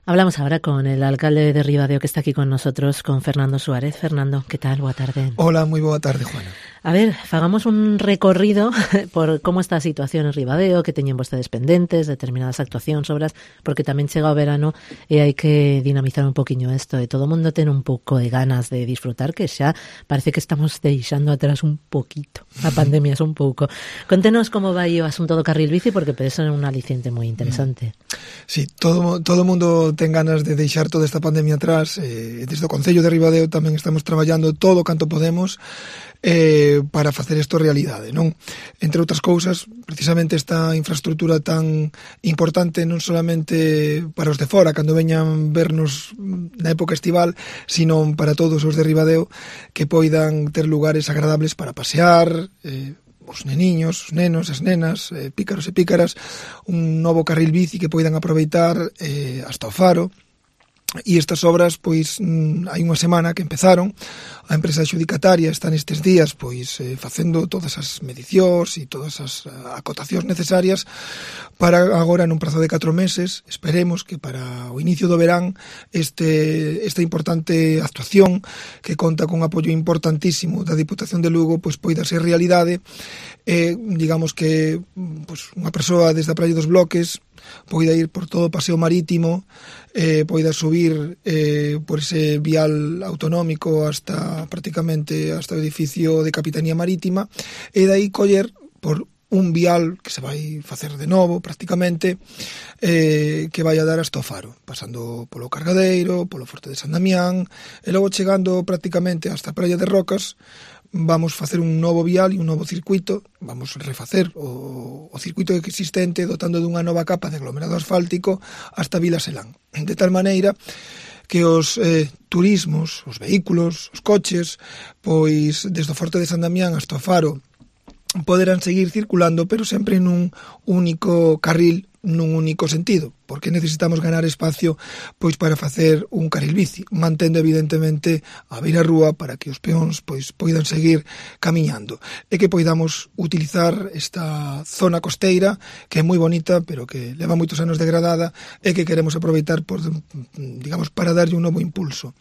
Hablamos ahora con el alcalde de Ribadeo que está aquí con nosotros, con Fernando Suárez. Fernando, ¿qué tal? Boa tarde. Hola, moi boa tarde, Juana. A ver, fagamos un recorrido por como está a situación en Ribadeo, que teñen vostedes pendentes, determinadas actuacións, obras, porque tamén chega o verano e hai que dinamizar un poquinho isto, e todo o mundo ten un pouco de ganas de disfrutar, que xa parece que estamos deixando atrás un poquito a pandemia, un pouco. Contenos como vai o asunto do carril bici, porque pode ser un aliciente moi interesante. Sí, todo o mundo ten ganas de deixar toda esta pandemia atrás. Desde o Concello de Ribadeo tamén estamos traballando todo canto podemos para facer isto realidade, non? Entre outras cousas, precisamente esta infraestructura tan importante non solamente para os de fora, cando veñan vernos na época estival, sino para todos os de Ribadeo, que poidan ter lugares agradables para pasear, os neniños, os nenos, as nenas, pícaros e pícaras, un novo carril bici que poidan aproveitar hasta o Faro. E estas obras, pois, hai unha semana que empezaron. A empresa adxudicataria está nestes días, pois, facendo todas as medicións e todas as acotacións necesarias para agora, nun prazo de 4 meses, esperemos que para o inicio do verán esta importante actuación que conta con apoio importantísimo da Diputación de Lugo, pois poida ser realidade. Digamos que pois, unha persoa desde a Praia dos Bloques poida ir por todo o paseo marítimo, poida subir por ese vial autonómico prácticamente hasta o edificio de Capitanía Marítima, e dai coller por un vial que se vai facer de novo prácticamente, que vai a dar hasta o Faro, pasando polo Cargadeiro, polo Forte de San Damián, e logo chegando prácticamente hasta a Praia de Rocas. Vamos facer un novo vial e un novo circuito, vamos refacer o circuito existente dotando dunha nova capa de aglomerado asfáltico hasta Vila Selán, de tal maneira que os turismos, os vehículos, os coches, pois desde o Forte de San Damián hasta o Faro poderán seguir circulando, pero sempre nun único carril, nun único sentido, porque necesitamos ganar espacio pois para facer un carril bici, mantendo evidentemente a beirarrúa para que os peóns pois poidan seguir camiñando e que poidamos utilizar esta zona costeira que é moi bonita, pero que leva moitos anos degradada e que queremos aproveitar por, digamos, para darlle un novo impulso.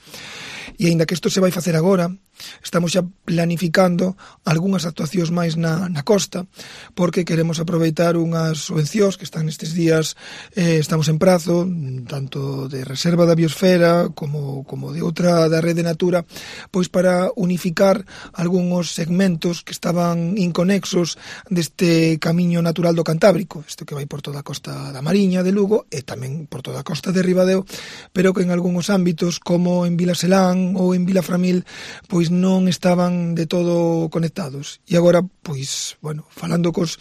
E aínda que isto se vai facer agora, estamos xa planificando algunhas actuacións máis na costa, porque queremos aproveitar unhas subvencións que están nestes días, estamos en prazo, tanto de reserva da biosfera como de outra da Rede Natura, pois para unificar algúns segmentos que estaban inconexos deste camiño natural do Cantábrico, isto que vai por toda a costa da Mariña de Lugo e tamén por toda a costa de Ribadeo, pero que en algúns ámbitos, como en Vila Selán ou en Vila Framil, pois non estaban de todo conectados. E agora, pois, bueno, falando cos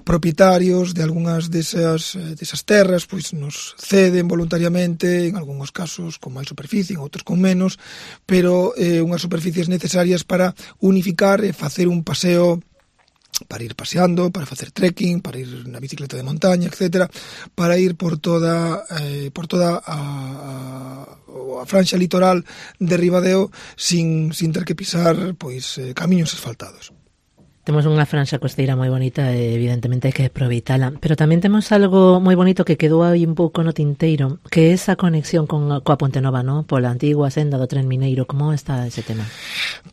propietarios de algunhas desas terras, pois nos ceden voluntariamente, en algúns casos con máis superficie, en outros con menos, pero unhas superficies necesarias para unificar e facer un paseo para ir paseando, para facer trekking, para ir na bicicleta de montaña, etcétera, para ir por toda a franxa litoral de Ribadeo sin ter que pisar pois camiños asfaltados. Temos unha franxa costeira moi bonita e evidentemente hai que aproveitala, pero tamén temos algo moi bonito que quedou aí un pouco no tinteiro, que é esa conexión coa Ponte Nova, ¿no? Pola antigua senda do tren mineiro. Como está ese tema?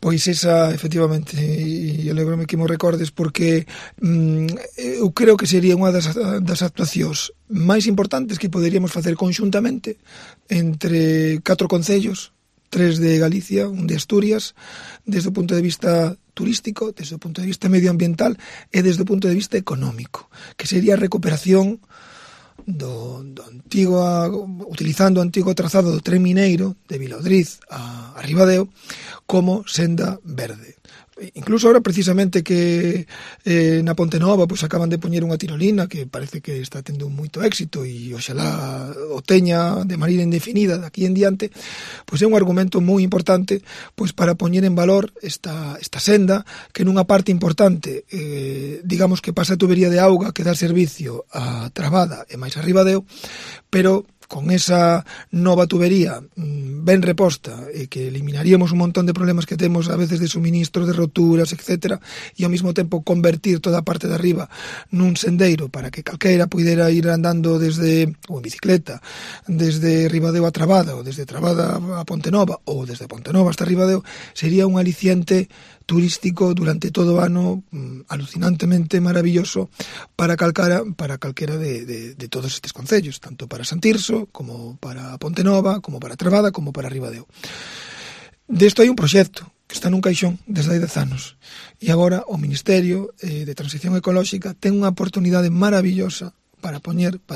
Pois esa, efectivamente, e alégrome que mo recordes, porque eu creo que sería unha das actuacións máis importantes que poderíamos facer conxuntamente entre 4 concellos, 3 de Galicia, un de Asturias, desde o punto de vista turístico, desde o punto de vista medioambiental e desde o punto de vista económico, que sería a recuperación do antigo, utilizando o antigo trazado do tren mineiro de Vilaodriz a Ribadeo como senda verde. Incluso ahora precisamente que na Ponte Nova pois acaban de poñer unha tirolina que parece que está tendo moito éxito e oxalá o teña de maneira indefinida daqui en diante, pois é un argumento moi importante pois para poñer en valor esta senda que nunha parte importante digamos que pasa a tubería de auga que dá servicio a Trabada e máis a Ribadeo, pero con esa nova tubería ben reposta e que eliminaríamos un montón de problemas que temos a veces de suministros, de roturas, etc. E ao mesmo tempo convertir toda a parte de arriba nun sendeiro para que calqueira puidera ir andando desde, ou en bicicleta, desde Ribadeo a Trabada, ou desde Trabada a Pontenova, ou desde Pontenova hasta Ribadeo, sería un aliciente turístico durante todo o ano alucinantemente maravilloso para calquera de todos estes concellos, tanto para Santirso, como para Pontenova, como para Trabada, como para Ribadeo. Desto hai un proxecto que está nun caixón desde hai 10 anos e agora o Ministerio de Transición Ecolóxica ten unha oportunidade maravillosa para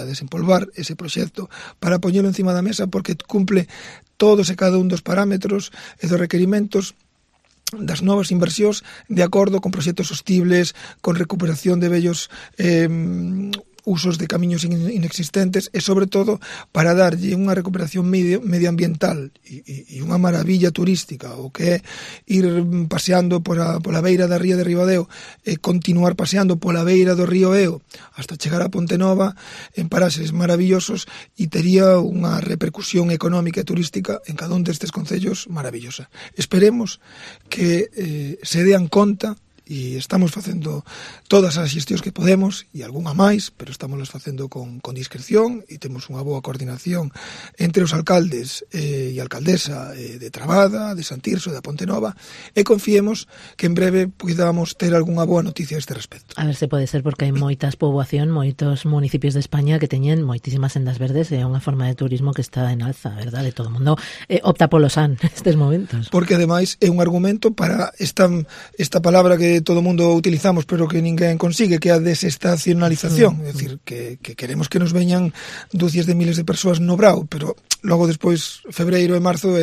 desempolvar ese proxecto, para poñelo encima da mesa, porque cumple todos e cada un dos parámetros e dos requerimentos das novas inversións de acordo con proxectos sostibles, con recuperación de vellos usos de camiños inexistentes e, sobre todo, para darlle unha recuperación medioambiental e unha maravilla turística, o que é ir paseando pola beira da ría de Ribadeo e continuar paseando pola beira do río Eo hasta chegar a Pontenova en paraxes maravillosos e tería unha repercusión económica e turística en cada un destes concellos maravillosa. Esperemos que se dean conta e estamos facendo todas as xestións que podemos e algunha máis, pero estamos facendo con discreción e temos unha boa coordinación entre os alcaldes e alcaldesa de Trabada, de Santirso e da Pontenova, e confiemos que en breve podamos ter algunha boa noticia a este respecto. A ver se pode ser, porque hai moitas poboación, moitos municipios de España que teñen moitísimas sendas verdes e é unha forma de turismo que está en alza, verdade? Todo o mundo opta polo san nestes momentos. Porque ademais é un argumento para esta palabra que todo o mundo utilizamos pero que ninguén consigue, que é a desestacionalización, é dicir, que queremos que nos veñan dúcias de miles de persoas no brao, pero logo despois febreiro e marzo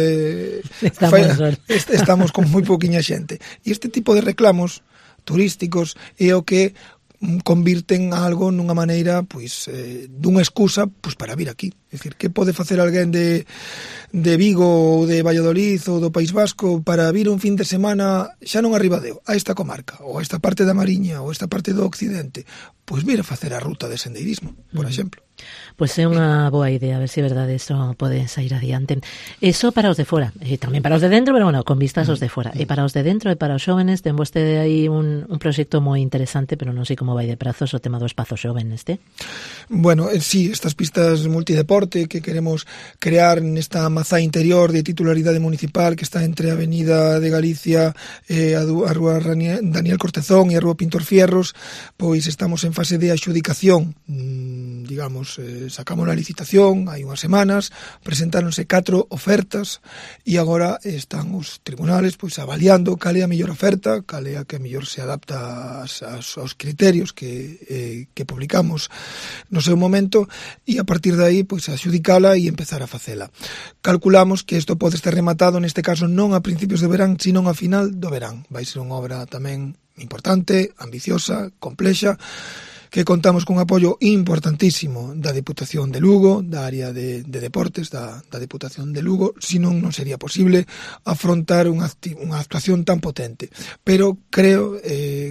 estamos con moi pouquiña xente. E este tipo de reclamos turísticos é o que convirten a algo nunha maneira, pois, dunha excusa, pois, para vir aquí. É dicir, que pode facer alguén de Vigo ou de Valladolid ou do País Vasco para vir un fin de semana xa non a Ribadeo, a esta comarca, ou a esta parte da Mariña, ou a esta parte do Occidente? Pois vir a facer a ruta de sendeirismo, por exemplo. Pois é unha boa idea, a ver se é verdade eso pode sair adiante. Eso para os de fora, e tamén para os de dentro, pero bueno, con vistas aos de fora. E para os de dentro e para os xóvenes, ten vostede aí un proxecto moi interesante, pero non sei como vai de prazos o tema do espazo xoven Bueno, sí, estas pistas multideporte que queremos crear nesta mazá interior de titularidade municipal que está entre a Avenida de Galicia e a Rúa Daniel Cortezón e a Rúa Pintor Fierros, pois estamos en fase de adxudicación, digamos, sacamos a licitación hai unhas semanas, presentáronse 4 ofertas e agora están os tribunales pois avaliando cal é a mellor oferta, cal é a que mellor se adapta aos criterios que publicamos no seu momento, e a partir de aí pois adxudicala e empezar a facela. Calculamos que isto pode estar rematado neste caso non a principios de verán, sino a final do verán. Vai ser unha obra tamén importante, ambiciosa, complexa, que contamos cun apoio importantísimo da Deputación de Lugo, da área de deportes da Deputación de Lugo, senón non sería posible afrontar unha actuación tan potente. Pero creo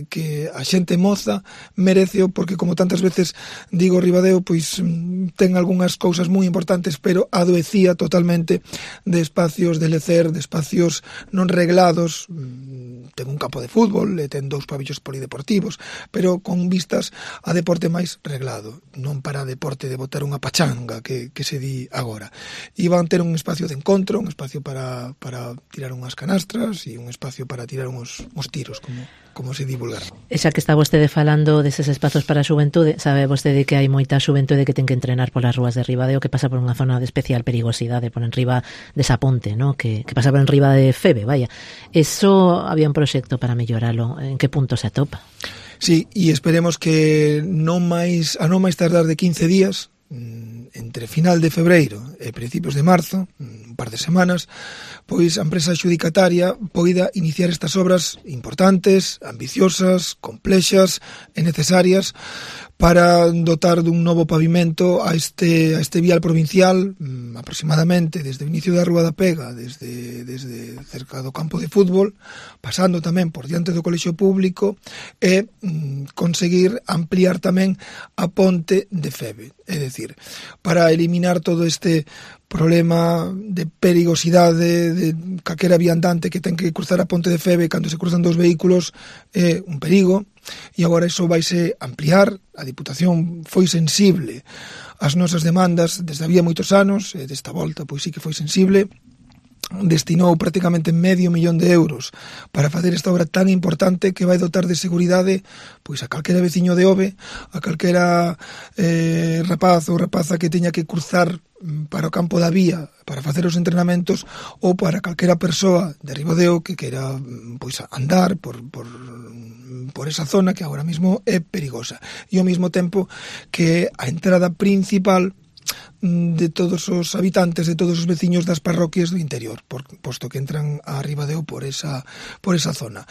que a xente moza mereceo, porque como tantas veces digo, Ribadeo pois ten algunhas cousas moi importantes, pero adoecía totalmente de espacios de lecer, de espacios non reglados. Ten un campo de fútbol, ten 2 pabellos polideportivos, pero con vistas a deporte máis reglado, non para deporte de botar unha pachanga que se di agora. E van ter un espacio de encontro, un espacio para tirar unhas canastras e un espacio para tirar uns tiros, como se divulgar. E xa que está vostede falando deses espazos para a xuventude, sabe vostede que hai moita xuventude que ten que entrenar polas rúas de Ribadeo, que pasa por unha zona de especial perigosidade, por enriba desa ponte, ¿no? que pasa por enriba de Febe, vaya. Eso había un proxecto para melloralo. En que punto se atopa? Sí, e esperemos que a non máis tardar de 15 días, entre final de febreiro e principios de marzo, un par de semanas, pois a empresa adxudicataria poida iniciar estas obras importantes, ambiciosas, complexas e necesarias para dotar dun novo pavimento a este vial provincial, aproximadamente desde o inicio da Rúa da Pega, desde cerca do campo de fútbol, pasando tamén por diante do colexio público, e conseguir ampliar tamén a ponte de Feve. É dicir, para eliminar todo este problema de perigosidade de calquera viandante que ten que cruzar a ponte de Feve cando se cruzan dos vehículos é un perigo, e agora iso vaise ampliar. A Diputación foi sensible ás nosas demandas desde había moitos anos, e desta volta pois sí que foi sensible, destinou prácticamente €500,000 para facer esta obra tan importante que vai dotar de seguridade pois a calquera veciño de Ove, a calquera rapaz ou rapaza que teña que cruzar para o campo da vía para facer os entrenamentos, ou para calquera persoa de Ribadeo que queira pois andar por esa zona que agora mesmo é perigosa, e ao mesmo tempo que a entrada principal de todos os habitantes, de todos os veciños das parroquias do interior, posto que entran a Ribadeo por esa zona.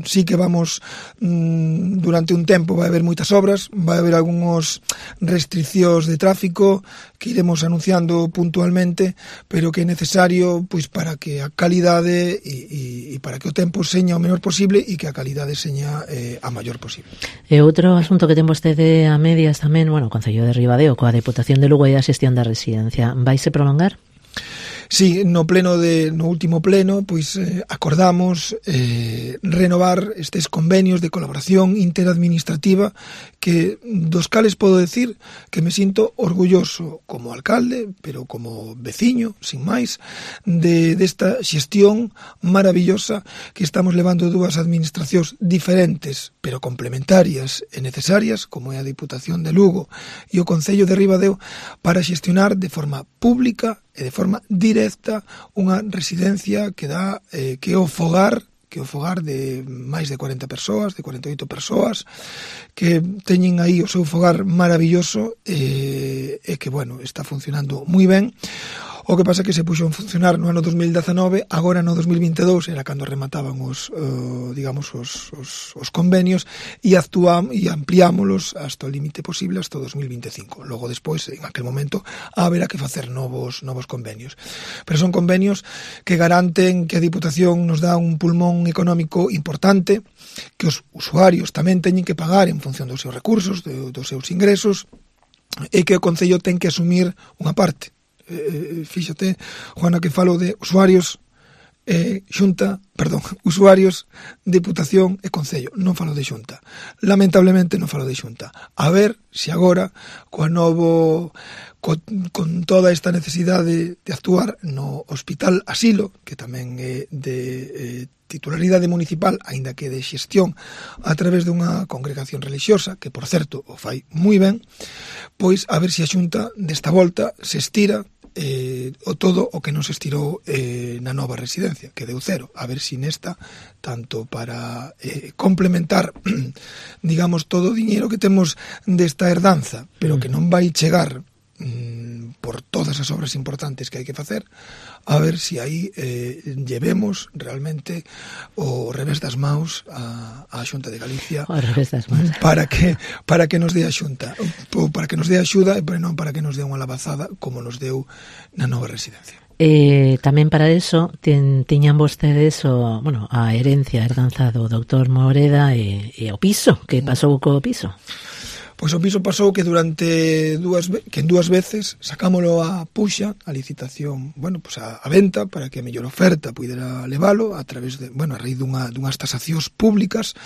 Sí que vamos, durante un tempo vai haber moitas obras, vai haber algúns restriccións de tráfico que iremos anunciando puntualmente, pero que é necesario pois para que a calidade e para que o tempo seña o menor posible e que a calidade seña a maior posible. E outro asunto que ten vostede a medias tamén, bueno, o Concello de Ribadeo coa Deputación de Lugo e a xestión da residencia, vaise prolongar? Sí, no último pleno, pois acordamos renovar estes convenios de colaboración interadministrativa que dos cales podo decir que me sinto orgulloso como alcalde, pero como veciño, sin máis, desta xestión maravillosa que estamos levando dúas administracións diferentes, pero complementarias e necesarias, como é a Diputación de Lugo e o Concello de Ribadeo, para xestionar de forma pública e de forma directa unha residencia que dá que é o fogar de máis de 40 persoas, de 48 persoas, que teñen aí o seu fogar maravilloso e que, bueno, está funcionando moi ben. O que pasa é que se puxo en funcionar no ano 2019, agora no 2022 era cando remataban os convenios, e ampliámolos hasta o límite posible, hasta o 2025. Logo despois, en aquel momento, haberá que facer novos convenios. Pero son convenios que garanten que a Diputación nos dá un pulmón económico importante, que os usuarios tamén teñen que pagar en función dos seus recursos, dos seus ingresos, e que o Concello ten que asumir unha parte. Fíxate, Juana, que falo de usuarios, usuarios, Diputación e Concello, non falo de Xunta. Lamentablemente non falo de Xunta. A ver se agora, con toda esta necesidade de actuar no Hospital Asilo, que tamén é de titularidade municipal, aínda que de xestión a través dunha congregación religiosa, que, por certo, o fai moi ben, pois a ver se a Xunta desta volta se estira todo o que non se estirou na nova residencia, que deu cero. A ver si nesta, tanto para complementar, digamos, todo o diñeiro que temos desta herdanza, pero que non vai chegar por todas as obras importantes que hai que facer, a ver si aí llevemos realmente o revés das maus a Xunta de Galicia, o revés das maus, para que nos dé a Xunta, ou para que nos dé axuda, pero non para que nos dé unha lavazada como nos deu na nova residencia. Tamén para eso tiñan vostedes a herencia, a herdanza do doutor Moreda e o piso, que pasou co piso. Pois o piso pasou que en dúas veces sacámolo a puxa, a licitación, a venta, para que a mellor oferta pudera levalo a través de, a raíz dunhas tasacións públicas.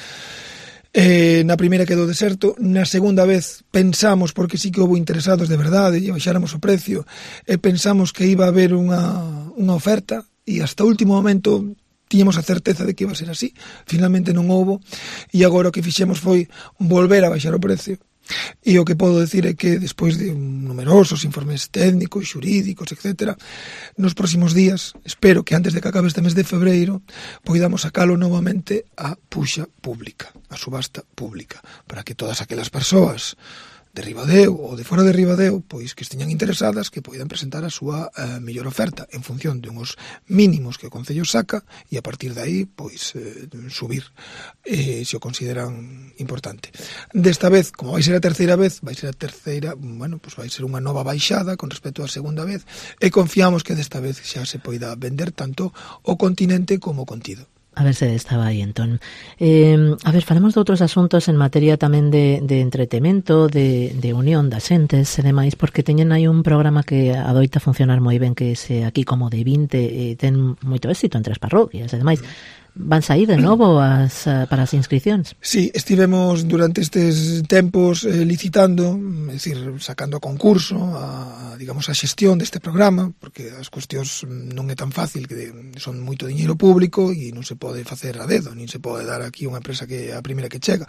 Na primeira quedou deserto, na segunda vez pensamos, porque sí que houve interesados de verdade e baixáramos o precio, e pensamos que iba a haber unha oferta, e hasta o último momento tiñamos a certeza de que iba a ser así. Finalmente non houbo, e agora o que fixemos foi volver a baixar o precio. E o que podo decir é que despois de numerosos informes técnicos, xurídicos, etc., nos próximos días, espero que antes de que acabe este mes de febreiro, poidamos sacalo novamente a puxa pública, a subasta pública, para que todas aquelas persoas de Ribadeo ou de fora de Ribadeo, pois que esteñan interesadas, que poidan presentar a súa mellor oferta en función de uns mínimos que o Concello saca e a partir de aí pois subir se o consideran importante. Desta vez, como vai ser a terceira vez, vai ser unha nova baixada con respecto á segunda vez e confiamos que desta vez xa se poida vender tanto o continente como o contido. A ver se estaba aí, entón. A ver, falemos de outros asuntos en materia tamén de entretemento, de unión das xentes e demais, porque teñen aí un programa que adoita funcionar moi ben, que é aquí como de 20, ten moito éxito entre as parroquias e demais. Van sair de novo para as inscripcións? Sí, estivemos durante estes tempos licitando, é dicir, sacando a concurso a xestión deste programa, porque as cuestións non é tan fácil, que son moito diñeiro público e non se pode facer a dedo, nin se pode dar aquí unha empresa que é a primeira que chega.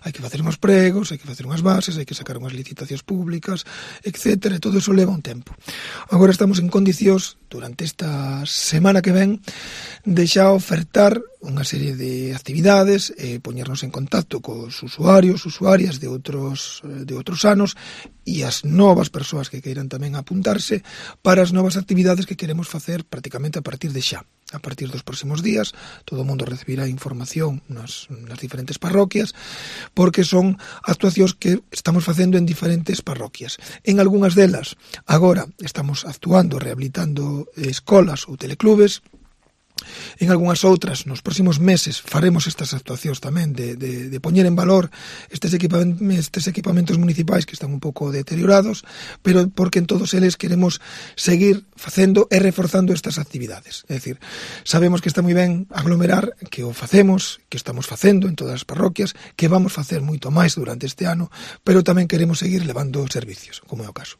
Hai que facer unhas pregos, hai que facer unhas bases, hai que sacar unhas licitacións públicas, etc. E todo iso leva un tempo. Agora estamos en condicións, durante esta semana que ven, de xa ofertar unha serie de actividades, poñernos en contacto cos usuarios, usuarias de outros anos e as novas persoas que queiran tamén apuntarse para as novas actividades que queremos facer prácticamente a partir de xa. A partir dos próximos días, todo o mundo recibirá información nas diferentes parroquias, porque son actuacións que estamos facendo en diferentes parroquias. En algunhas delas, agora estamos actuando, rehabilitando escolas ou teleclubes. En algunhas outras, nos próximos meses, faremos estas actuacións tamén de poñer en valor estes equipamentos municipais que están un pouco deteriorados, pero porque en todos eles queremos seguir facendo e reforzando estas actividades. É dicir, sabemos que está moi ben aglomerar, que o facemos, que estamos facendo en todas as parroquias, que vamos facer moito máis durante este ano, pero tamén queremos seguir levando servicios, como é o caso.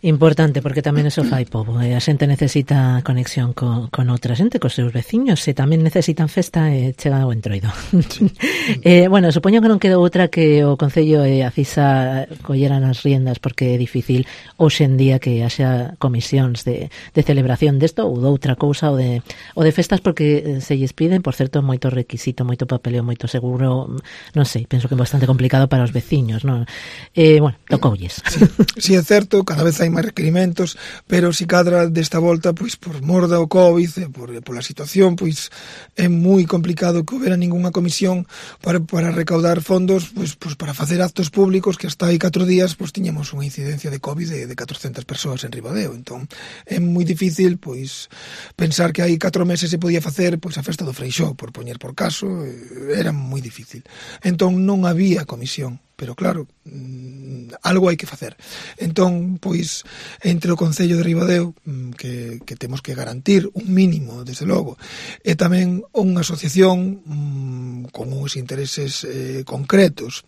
Importante, porque tamén eso fai pobo. A xente necesita conexión con outra xente, cos seus veciños, e tamén necesitan festa e chega o entroido. Sí. Bueno, supoño que non quedou outra que o Concello e a CISA colleran as riendas, porque é difícil hoxe en día que haxa comisións de celebración desto ou de outra cousa ou de festas, porque se lles piden, por certo, moito requisito, moito papeleo, moito seguro, non sei, penso que é bastante complicado para os veciños, non? Bueno, tocoulles. Sí, é certo, cada vez hai máis requerimentos, pero si cadra desta volta, pois por mor do COVID, pola situación, pois é moi complicado que houbera ningunha comisión para recaudar fondos, pois para facer actos públicos, que hasta hai 4 días pois tiñamos unha incidencia de COVID de 400 persoas en Ribadeo. Entón é moi difícil pois pensar que hai 4 meses se podía facer pois a festa do Freixó, por poñer por caso, era moi difícil. Entón non había comisión. Pero claro, algo hai que facer. Entón, pois, entre o Concello de Ribadeo, que temos que garantir un mínimo, desde logo, e tamén unha asociación con uns intereses concretos,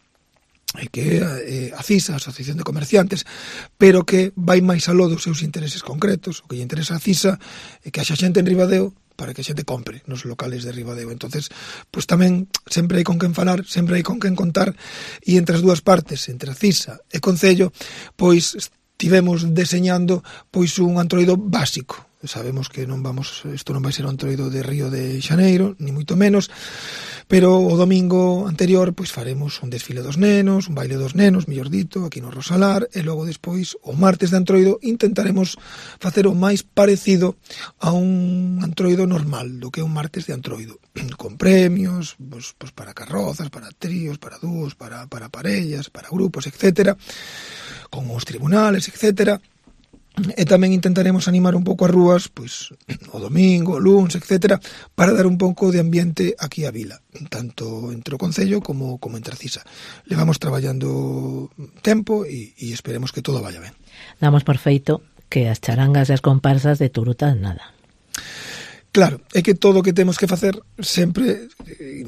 que é a CISA, a Asociación de Comerciantes, pero que vai máis aló dos seus intereses concretos. O que lle interesa a CISA é que haxa xente en Ribadeo para que a xente compre nos locales de Ribadeo. Entonces, pois tamén sempre hai con quen falar, sempre hai con quen contar, e entre as dúas partes, entre a CISA e Concello, pois estivemos deseñando pois un antroido básico. Sabemos que isto non vai ser un antroido de Río de Xaneiro, ni moito menos, pero o domingo anterior pois faremos un desfile dos nenos, un baile dos nenos, mellor dito, aquí no Rosalar, e logo despois, o martes de antroido, intentaremos facer o máis parecido a un antroido normal, do que é un martes de antroido, con premios, pois para carrozas, para tríos, para dúos, para parellas, para grupos, etc., con os tribunales, etc., e tamén intentaremos animar un pouco as rúas, pois o domingo, o luns, etc., para dar un pouco de ambiente aquí á vila, tanto entre o Concello como entre a CISA. Levamos traballando tempo e esperemos que todo vaya ben. Damos por feito que as charangas e as comparsas de Turuta nada. Claro, é que todo o que temos que facer sempre,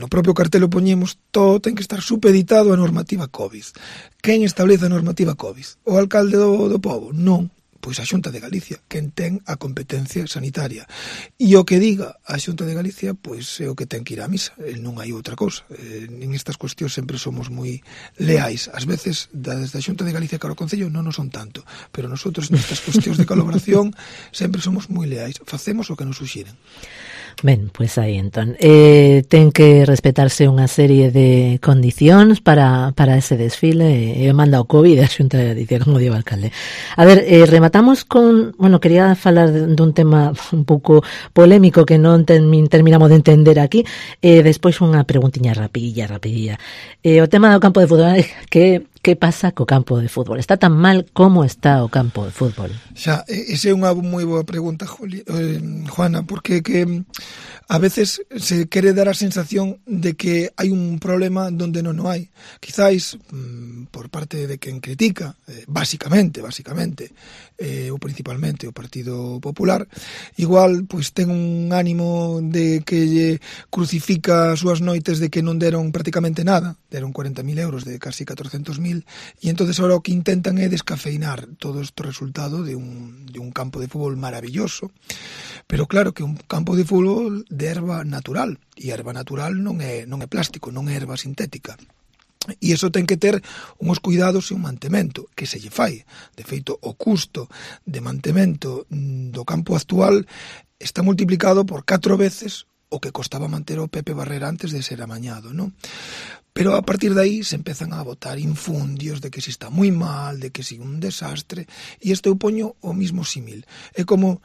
no propio cartel o poñemos, todo ten que estar supeditado á normativa COVID. Quen establece a normativa COVID? O alcalde do pobo? Non. Pois a Xunta de Galicia, quen ten a competencia sanitaria. E o que diga a Xunta de Galicia, pois é o que ten que ir á misa. Non hai outra cousa. En estas cuestións sempre somos moi leais. Ás veces, desde a Xunta de Galicia cara ao Concello non nos son tanto, pero nosotros nestas cuestións de colaboración sempre somos moi leais. Facemos o que nos suxiren. Ben, pois aí entón ten que respetarse unha serie de condicións para ese desfile e manda o COVID a Xunta de Galicia, como digo o alcalde. A ver, rematamos con, bueno, quería falar dun tema un pouco polémico que non terminamos de entender aquí, despois unha preguntiña rapidilla. O tema do campo de fútbol, que pasa co campo de fútbol? Está tan mal como está o campo de fútbol? Xa, esa é unha moi boa pregunta, Juana, porque que a veces se quere dar a sensación de que hai un problema donde non o hai. Quizáis, por parte de quen critica, basicamente, ou principalmente o Partido Popular, igual pois ten un ánimo de que lle crucifica as súas noites de que non deron prácticamente nada, deron 40.000 euros de casi 400.000, e entonces ahora o que intentan é descafeinar todo este resultado de un campo de fútbol maravilloso. Pero claro que un campo de fútbol de erva natural, e a erva natural non é plástico, non é erva sintética. E iso ten que ter uns cuidados e un mantemento que se lle fai. De feito, o custo de mantemento do campo actual está multiplicado por 4 veces o que costaba manter o Pepe Barrera antes de ser amañado, non? Pero a partir de aí se empezan a botar infundios de que si está moi mal, de que si un desastre, e isto eu poño o mismo símil. É como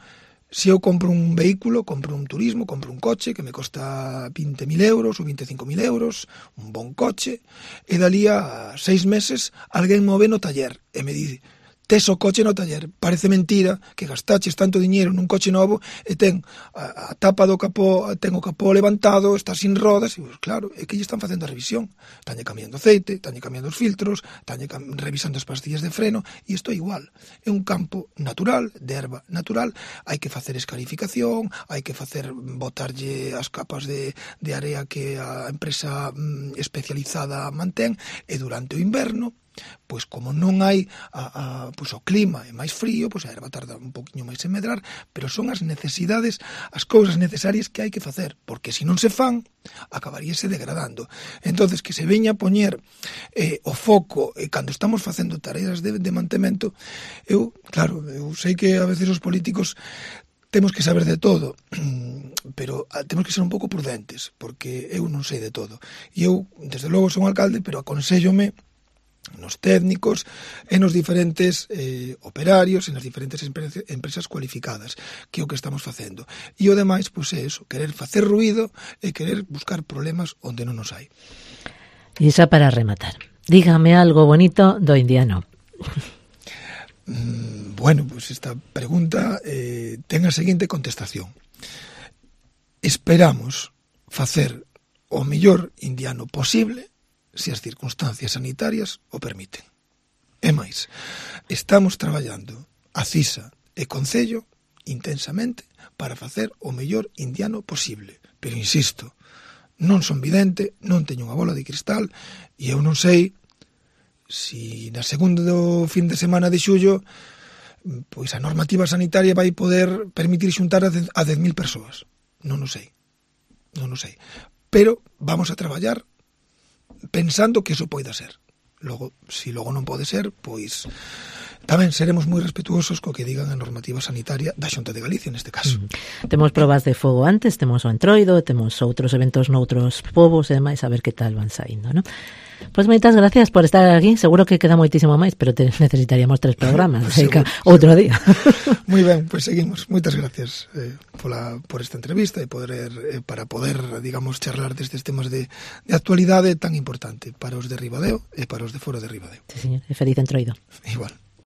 se eu compro un vehículo, compro un turismo, compro un coche que me costa 20.000 euros ou 25.000 euros, un bon coche, e dali a 6 meses alguén me ve no taller e me dice: tes o coche no taller, parece mentira que gastaches tanto diñeiro nun coche novo e ten a tapa do capó, ten o capó levantado, está sin rodas, e pues, claro, é que lle están facendo a revisión, estánlle cambiando aceite, estánlle cambiando os filtros, estánlle revisando as pastillas de freno, e isto é igual, é un campo natural, de erva natural, hai que facer escarificación, hai que botarlle as capas de area que a empresa especializada mantén, e durante o inverno, pois como non hai pois o clima é máis frío, pois a erva tarda un poquinho máis en medrar, pero son as necesidades, as cousas necesarias que hai que facer, porque se non se fan, acabaríase degradando. Entonces, que se veña a poñer o foco cando estamos facendo tareas de mantemento, eu sei que a veces os políticos temos que saber de todo, pero temos que ser un pouco prudentes, porque eu non sei de todo. E eu, desde logo, son alcalde, pero aconsellome nos técnicos e nos diferentes operarios e nas diferentes empresas cualificadas, que é o que estamos facendo. E o demais, pois é eso, querer facer ruído e querer buscar problemas onde non os hai. E xa para rematar, dígame algo bonito do indiano. Bueno, pois esta pregunta ten a seguinte contestación. Esperamos facer o mellor indiano posible se as circunstancias sanitarias o permiten. E máis, estamos traballando a CISA e Concello intensamente para facer o mellor indiano posible. Pero insisto, non son vidente, non teño unha bola de cristal, e eu non sei se na segundo fin de semana de xullo pois a normativa sanitaria vai poder permitir xuntar a 10.000 persoas. Non o sei. Pero vamos a traballar pensando que eso poida ser. Logo, se logo non pode ser, pois tamén seremos moi respetuosos co que digan a normativa sanitaria da Xunta de Galicia neste caso. Temos probas de fogo antes, temos o Entroido, temos outros eventos noutros povos e demais, a ver que tal van saindo, non? Pois moitas gracias por estar aquí. Seguro que queda moitísimo máis, pero necesitaríamos 3 programas, outro día. Moi ben, pois seguimos. Moitas gracias por esta entrevista e para poder, digamos, charlar destes temas de actualidade tan importante para os de Ribadeo e para os de fora de Ribadeo. Sí, señor. E feliz Entroido. Igual.